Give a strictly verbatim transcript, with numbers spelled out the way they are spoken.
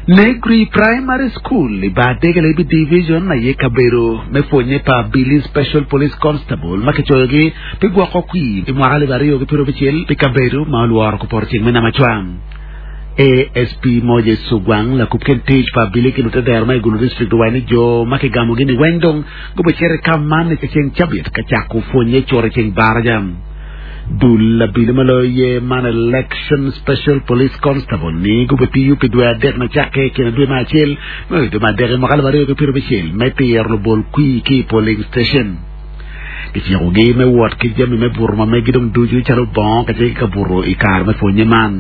Negri Primary School i Badege Labi Division aye kabedo me pwonye pa Abili Special Police Constable ma kicoyogi pi gwoko kwir i mwaka alip aryo ki piero abicel pi kabedo ma olworo kupoto ceng me Namacwang. ASP Moses Sugwang lakub kin tic pa abili ki lutedero ma i Gulu District owaco ni jo ma kigamogi ni weng dong gubicito i kam man i ceng cabit ka cako pwonye curo i ceng baraja. Dul abili ma loyo ye man Election Special Police Constable ni gubitiyo pi dwe adek na cakke i kine dwe me acel me dwe me adek i mwaka alip aryo ki piero abicel me tiro lubol kwir ki i polling station. Kicikogi me wot ki jami me buto ma megi dong ducu calo bongo kacel ki kabuto i kare me pwonye man.